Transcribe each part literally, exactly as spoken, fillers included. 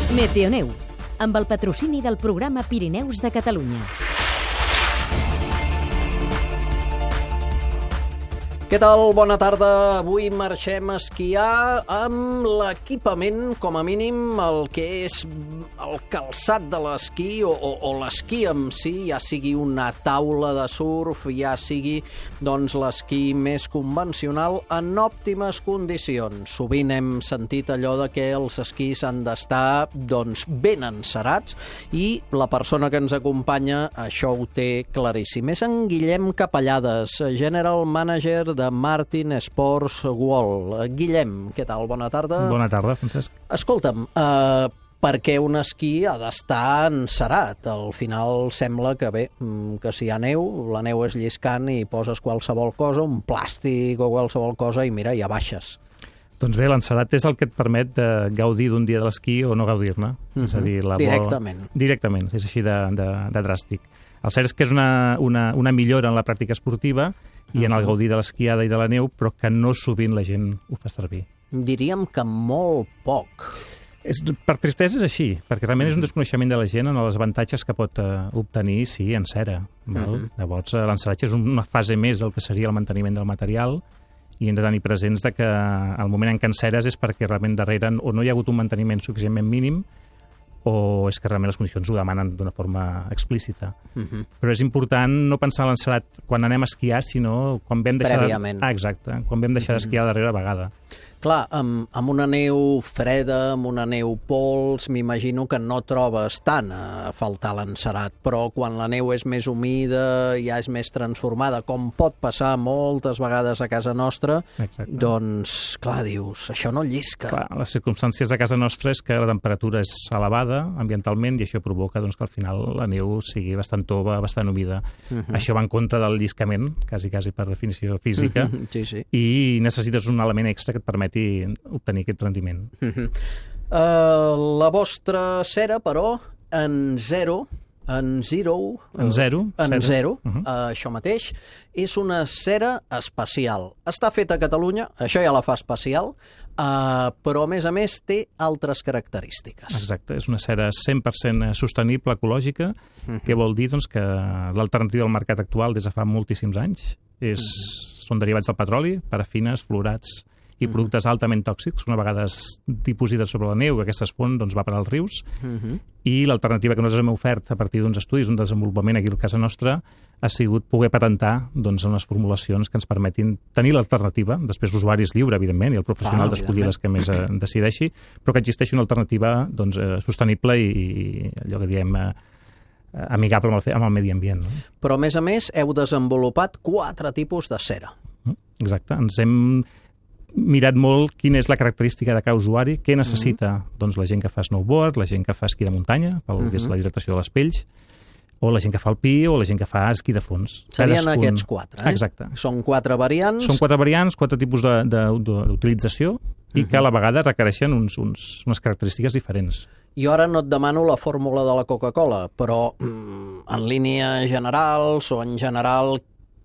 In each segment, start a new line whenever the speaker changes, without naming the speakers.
Meteoneu, amb el patrocini del programa Pirineus de Catalunya.
Què tal? Bona tarda. Avui marxem a esquiar amb l'equipament, com a mínim, el que és el calçat de l'esquí o, o, o l'esquí en si, ja sigui una taula de surf, ja sigui doncs, l'esquí més convencional, en òptimes condicions. Sovint hem sentit allò de que els esquís han d'estar doncs, ben encerats i la persona que ens acompanya això ho té claríssim. És en Guillem Capellades, General Manager de Martin Sports World. Guillem, què tal? Bona tarda.
Bona tarda, Francesc.
Escolta'm, eh, per què un esquí ha d'estar encerat? Al final sembla que bé, que si hi ha neu, la neu és lliscant i poses qualsevol cosa, un plàstic o qualsevol cosa i mira, ja baixes.
Doncs bé, l'encerat és el que et permet de gaudir d'un dia de l'esquí o no gaudir-ne. Uh-huh. És a dir, la
Directament.
Bola... Directament, és així de, de, de dràstic. El cert és que és una, una, una millora en la pràctica esportiva i en el gaudir de l'esquiada i de la neu, però que no sovint la gent ho fa servir.
Diríem que molt poc.
És, per tristesa és així, perquè realment és un desconeixement de la gent en els avantatges que pot uh, obtenir, sí, en cera. Val? Uh-huh. Llavors, uh, l'enceratge és una fase més del que seria el manteniment del material i hem de tenir presents de que el moment en què enceres és perquè realment darrere o no hi ha hagut un manteniment suficientment mínim o és que realment les condicions ho demanen d'una forma explícita. Uh-huh. Però és important no pensar en l'encerat quan anem a esquiar, sinó quan vam deixar...
Prèviament.
De... Ah, exacte, quan vam deixar uh-huh. d'esquiar la darrera vegada.
Clar, amb, amb una neu freda, amb una neu pols, m'imagino que no trobes tant a faltar l'encerat, però quan la neu és més humida, ja és més transformada, com pot passar moltes vegades a casa nostra, exacte. Doncs, clar, dius, això no llisca.
Clar, les circumstàncies de casa nostra és que la temperatura és elevada ambientalment i això provoca doncs, que al final la neu sigui bastant tova, bastant humida. Uh-huh. Això va en contra del lliscament, quasi, quasi per definició física,
uh-huh. sí, sí.
I necessites un element extra que et permeti obtenir aquest rendiment.
Uh-huh. uh, la vostra cera, però, en zero, en zero...
En zero.
En
zero,
zero
uh-huh.
uh, això mateix, és una cera especial. Està feta a Catalunya, això ja la fa especial, uh, però a més a més té altres característiques.
Exacte, és una cera cent per cent sostenible, ecològica, uh-huh. que vol dir doncs, que l'alternativa al mercat actual des de fa moltíssims anys és, uh-huh. són derivats del petroli, parafines, fluorats i productes altament tòxics, una vegada dipositats sobre la neu, aquestes fonts doncs, va per als rius, uh-huh. i l'alternativa que nosaltres hem ofert a partir d'uns estudis, un desenvolupament aquí a casa nostra, ha sigut poder patentar doncs, unes formulacions que ens permetin tenir l'alternativa, després l'usuari és lliure, evidentment, i el professional ah, d'escollir les que més eh, decideixi, però que existeixi una alternativa doncs, eh, sostenible i, i allò que diem... Eh, amigable amb el, amb el medi ambient. No?
Però, a més a més, heu desenvolupat quatre tipus de cera.
Exacte. Ens hem mirat molt quina és la característica de cada usuari, què necessita uh-huh. doncs, la gent que fa snowboard, la gent que fa esquí de muntanya, pel uh-huh. que és la hidratació de les pells, o la gent que fa alpí, o la gent que fa esquí de fons.
Serien Cadascun... aquests quatre, eh?
Exacte.
Són quatre variants.
Són quatre variants, quatre tipus de, de, de, d'utilització i uh-huh. que a la vegada requereixen uns, uns, unes característiques diferents.
Jo ara no et demano la fórmula de la Coca-Cola, però mm, en línia generals o en general,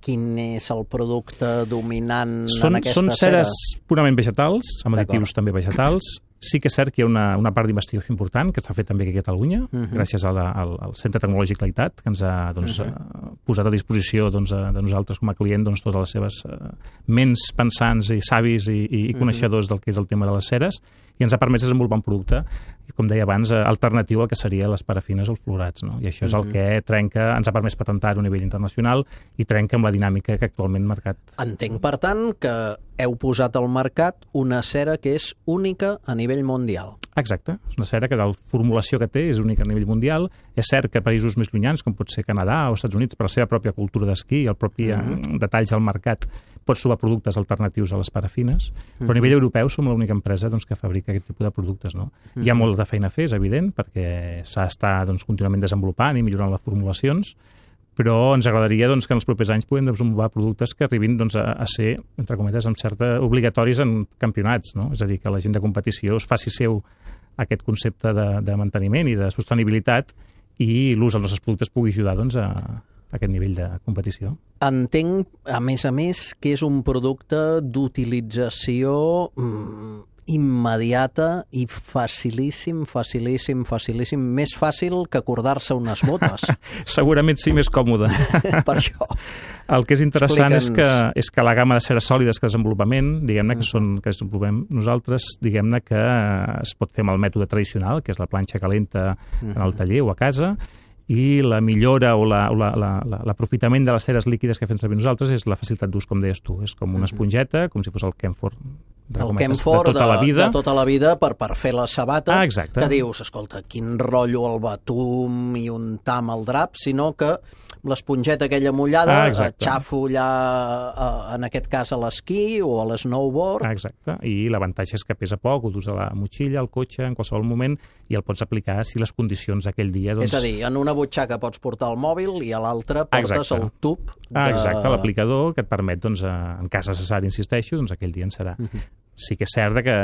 quin és el producte dominant
són,
en aquesta
són
cera?
Són ceres purament vegetals, amb additius també vegetals. Sí que és cert que hi ha una, una part d'investigació important que s'ha fet també aquí a Catalunya, uh-huh. gràcies a la, al, al Centre Tecnològic Laitat, que ens ha doncs, uh-huh. posat a disposició doncs, de nosaltres com a client doncs, totes les seves uh, ments pensants i savis i, i, i coneixedors uh-huh. del que és el tema de les ceres, i ens ha permès desenvolupar un producte, com deia abans, alternatiu al que serien les parafines o els fluorats. No? I això és el que trenca, ens ha permès patentar a nivell internacional i trenca amb la dinàmica que actualment el mercat.
Entenc, per tant, que heu posat al mercat una cera que és única a nivell mundial.
Exacte. És una cera que la formulació que té és única a nivell mundial. És cert que països més llunyans, com pot ser Canadà o Estats Units, per la seva pròpia cultura d'esquí i el propi uh-huh. detalls del mercat, pots trobar productes alternatius a les parafines, però a nivell europeu som l'única empresa doncs, que fabrica aquest tipus de productes. No? Uh-huh. Hi ha molt de feina a fer, és evident, perquè s'ha d'estar doncs, contínuament desenvolupant i millorant les formulacions, però ens agradaria doncs, que en els propers anys puguem desenvolupar productes que arribin doncs, a, a ser, entre cometes, amb certa obligatoris en campionats. No? És a dir, que la gent de competició es faci seu aquest concepte de, de manteniment i de sostenibilitat i l'ús dels nostres productes pugui ajudar doncs, a, a aquest nivell de competició.
Entenc, a més a més, que és un producte d'utilització mm, immediata i facilíssim, facilíssim, facilíssim. Més fàcil que acordar-se unes botes.
Segurament sí, més còmode.
Per això.
El que és interessant és que,
Explica'ns.
és que la gamma de ceres sòlides que desenvolupament, diguem-ne, que són que desenvolupem nosaltres, diguem-ne que es pot fer amb el mètode tradicional, que és la planxa calenta en el taller o a casa, i la millora o l'aprofitament de les ceres líquides que fem servir nosaltres és la facilitat d'ús, com deies tu. És com una esponjeta, com si fos el Kenford
El Kenford
de tota la vida.
de tota la vida per, per fer la sabata,
Ah, exacte.
que dius, escolta, quin rotllo el batum i untar amb el drap, sinó que l'esponjeta aquella mullada,
Ah, exacte.
xafo allà, eh, en aquest cas a l'esquí o a l'snowboard.
Ah, exacte. I l'avantatge és que pesa poc, ho dus a la motxilla, al cotxe, en qualsevol moment, i el pots aplicar si les condicions d'aquell dia... Doncs...
És a dir, en una butxaca pots portar el mòbil i a l'altra portes
Exacte.
el tub de...
Ah, exacte, l'aplicador que et permet, doncs, en cas necessari, insisteixo, doncs aquell dia en serà. Uh -huh. Sí que és cert que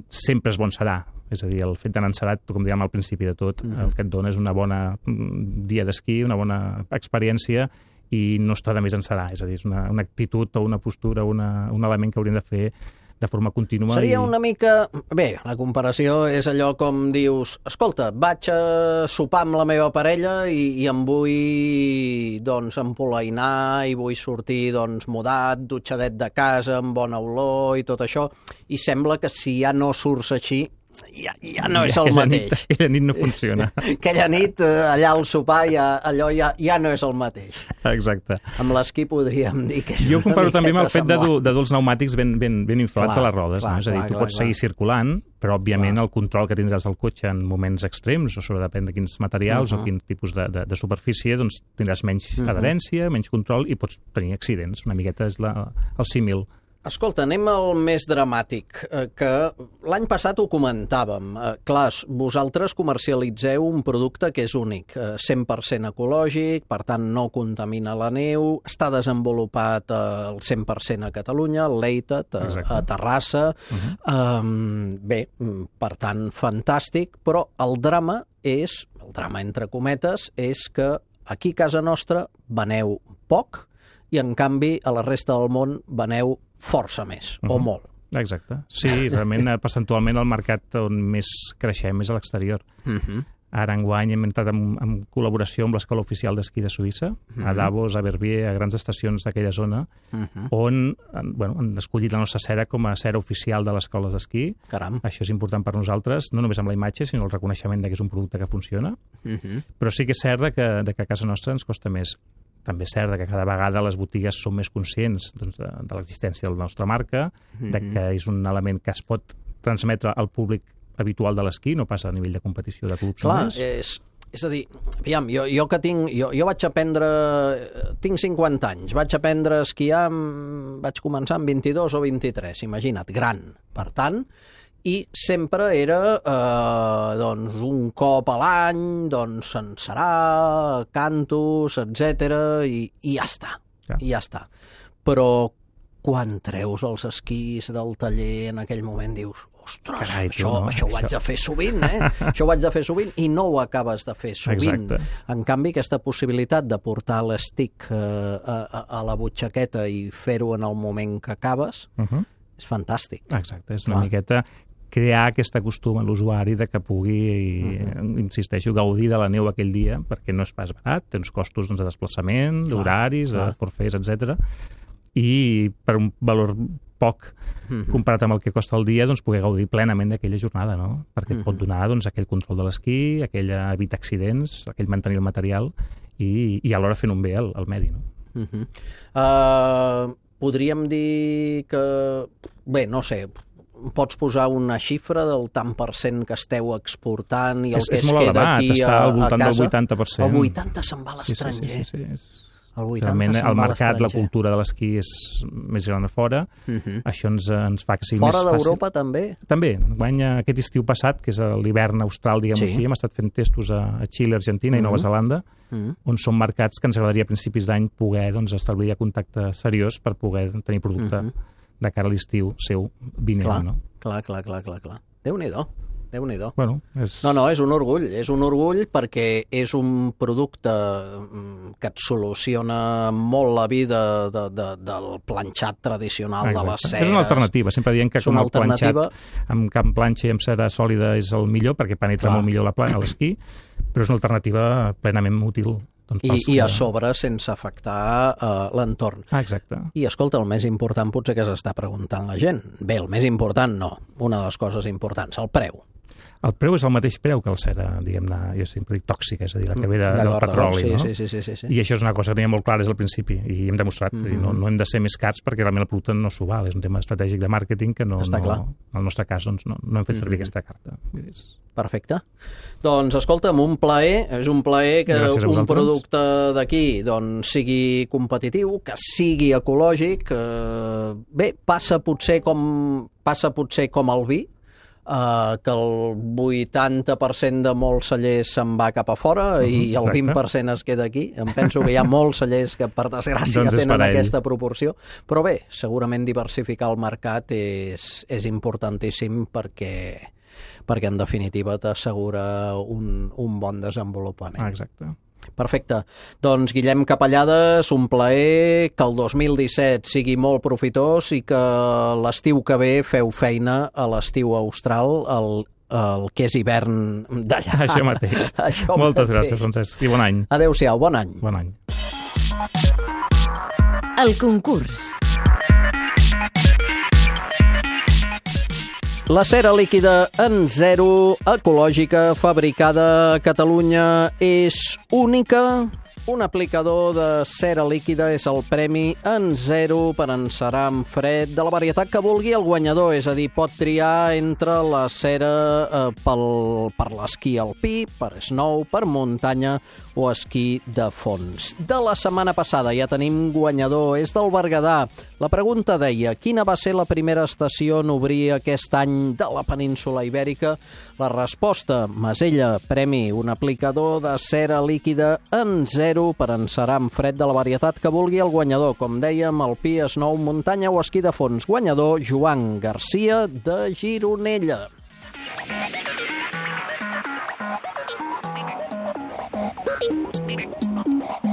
sempre és bon serà. És a dir, el fet d'anar encerat, com dèiem al principi de tot, uh -huh. el que et dona és una bona dia d'esquí, una bona experiència, i no està de més encerar. És a dir, és una, una actitud o una postura, una, un element que hauríem de fer de forma contínua.
Seria
i...
una mica... Bé, la comparació és allò com dius, escolta, vaig a sopar amb la meva parella i, i em vull, doncs, empolainar i vull sortir, doncs, mudat, dutxadet de casa, amb bona olor i tot això, i sembla que si ja no surts així, ja, ja no és el
aquella
mateix.
Nit, aquella nit no funciona.
Aquella nit, allà al sopar, ja, allò ja, ja no és el mateix.
Exacte.
Amb l'esquí podríem dir que és
Jo ho comparo
una
també amb el fet de,
semblant.
dur, de dur els pneumàtics ben, ben, ben inflats
Clar,
a les rodes.
clar,
No? És a dir,
clar,
tu
clar,
pots
clar.
seguir circulant, però, òbviament,
Clar.
el control que tindràs del cotxe en moments extrems, o sobre depèn de quins materials
Uh-huh.
o quin tipus de, de, de superfície, doncs tindràs menys
Uh-huh.
adherència, menys control i pots tenir accidents. Una miqueta és la, el símil.
Escolta, anem al més dramàtic, eh, que l'any passat ho comentàvem. Eh, clar, vosaltres comercialitzeu un producte que és únic, eh, cent per cent ecològic, per tant no contamina la neu, està desenvolupat eh, al cent per cent a Catalunya, al Leitet, a,
Exacte.
a Terrassa. Uh-huh. eh, bé, per tant, fantàstic, però el drama és, el drama entre cometes, és que aquí a casa nostra veneu poc i, en canvi, a la resta del món veneu força més, uh-huh. o molt.
Exacte. Sí, realment, eh, percentualment, el mercat on més creixem és a l'exterior.
Uh-huh.
Ara, enguany, hem entrat en, en col·laboració amb l'Escola Oficial d'Esquí de Suïssa, uh-huh. a Davos, a Verbier, a grans estacions d'aquella zona, uh-huh. on bueno, han escollit la nostra cera com a cera oficial de les escoles d'esquí.
Caram.
Això és important per nosaltres, no només amb la imatge, sinó el reconeixement de que és un producte que funciona. Uh-huh. Però sí que és cert de que, de que a casa nostra ens costa més. També és cert que cada vegada les botigues són més conscients doncs, de, de l'existència de la nostra marca, mm-hmm. de que és un element que es pot transmetre al públic habitual de l'esquí, no passa a nivell de competició de clubs
Clar,
només.
és, és a dir, aviam, jo, jo que tinc, jo, jo vaig aprendre, tinc cinquanta anys, vaig aprendre a esquiar, amb, vaig començar amb vint-i-dos o vint-i-tres, imagina't, gran. Per tant, i sempre era eh, doncs, un cop a l'any, doncs se'n serà, cantos, etcètera, i, i ja està,
Ja.
i ja està. Però quan treus els esquís del taller en aquell moment dius, ostres,
Carai, tu,
això,
no?
això ho haig de fer sovint, eh? Això ho haig de fer sovint, i no ho acabes de fer sovint.
Exacte.
En canvi, aquesta possibilitat de portar l'estic eh, a, a, a la butxaqueta i fer-ho en el moment que acabes,
Uh-huh.
és fantàstic.
Exacte, és una
Clar.
miqueta crear aquest costum a l'usuari de que pugui, uh-huh. insisteixo, gaudir de la neu aquell dia, perquè no és pas barat, té uns costos doncs, de desplaçament, d'horaris, de forfers, etcètera, i per un valor poc uh-huh. comparat amb el que costa el dia, doncs poder gaudir plenament d'aquella jornada, no? Perquè et pot donar doncs, aquell control de l'esquí, aquell evitar accidents, aquell mantenir el material i, i alhora fent un bé al, al medi, no?
Uh-huh. uh, podríem dir que... Bé, no sé, pots posar una xifra del tant per cent que esteu exportant i el
és,
que
és
es
molt
queda
elevat,
aquí
està
a,
al voltant
a casa?
del vuitanta per cent.
El vuitanta se'n va a l'estranger.
Sí, sí, sí, sí, sí.
El vuitanta
Realment,
se'n
el
va a
mercat, la
l'estranger.
cultura de l'esquí és més gran a fora.
Uh-huh.
Això ens, ens fa que sigui
Fora
més fàcil.
d'Europa també?
També. Guany aquest estiu passat, que és l'hivern austral, diguem-ho
Sí.
així, hem estat fent testos a, a Xile, Argentina
Uh-huh.
i Nova Zelanda,
Uh-huh.
on són mercats que ens agradaria a principis d'any poder doncs, establir contacte seriós per poder tenir producte
Uh-huh.
de cara a l'estiu seu vinent.
Clar,
No?
clar, clar, clar, clar, clar. Déu-n'hi-do. Déu-n'hi-do.
Bueno, és...
No, no, és un orgull, és un orgull perquè és un producte que et soluciona molt la vida de, de, del planxat tradicional. Exacte. De les ceres.
És una alternativa, sempre diem que com el
alternativa...
planxat amb camp planxa i amb cera sòlida és el millor, perquè penetra Clar. molt millor la a l'esquí, però és una alternativa plenament útil. Doncs
I,
que...
I a sobre sense afectar uh, l'entorn.
Ah, exacte.
I escolta, el més important potser que s'està preguntant la gent. Bé, el més important no. Una de les coses importants, el preu.
El preu és el mateix preu que el cera, diguem-ne, jo sempre dic tòxica, és a dir, la que ve de, del petroli,
sí,
no?
Sí, sí, sí, sí, sí.
I això és una cosa que teníem molt clara des del principi, i hem demostrat, mm -hmm. no, no hem de ser més cars perquè realment el producte no s'ho val, és un tema estratègic de màrqueting que no...
Està
no
clar.
En el nostre cas, doncs, no, no hem fet servir mm -hmm. aquesta carta.
Perfecte. Doncs, escolta'm, un plaer, és un plaer que un producte d'aquí doncs, sigui competitiu, que sigui ecològic, eh, bé, passa potser com passa potser com el vi, Uh, que el vuitanta per cent de molts cellers se'n va cap a fora uh -huh, i el vint per cent es queda aquí. Em penso que hi ha molts cellers que per desgràcia doncs tenen aquesta proporció, però bé, segurament diversificar el mercat és, és importantíssim perquè, perquè en definitiva t'assegura un, un bon desenvolupament.
Ah, exacte.
Perfecte. Doncs, Guillem Capellades, un plaer, que el dos mil disset sigui molt profitós i que l'estiu que ve feu feina a l'estiu austral, el, el que és hivern d'allà.
Això mateix.
Això
Moltes
mateix.
gràcies, Francesc, i bon any.
Adéu-siau, bon any.
Bon any.
El concurs.
La cera líquida en zero, ecològica, fabricada a Catalunya, és única. Un aplicador de cera líquida és el premi en zero per encerar en fred de la varietat que vulgui el guanyador, és a dir, pot triar entre la cera eh, pel, per l'esquí alpí, per snow, per muntanya o esquí de fons. De la setmana passada ja tenim guanyador, és del Berguedà. La pregunta deia, quina va ser la primera estació en obrir aquest any de la península Ibèrica? La resposta, Masella, premi, un aplicador de cera líquida en zero per encerar en fred de la varietat que vulgui el guanyador. Com dèiem, alpí, snow, muntanya o esquí de fons. Guanyador, Joan Garcia de Gironella. Thank you.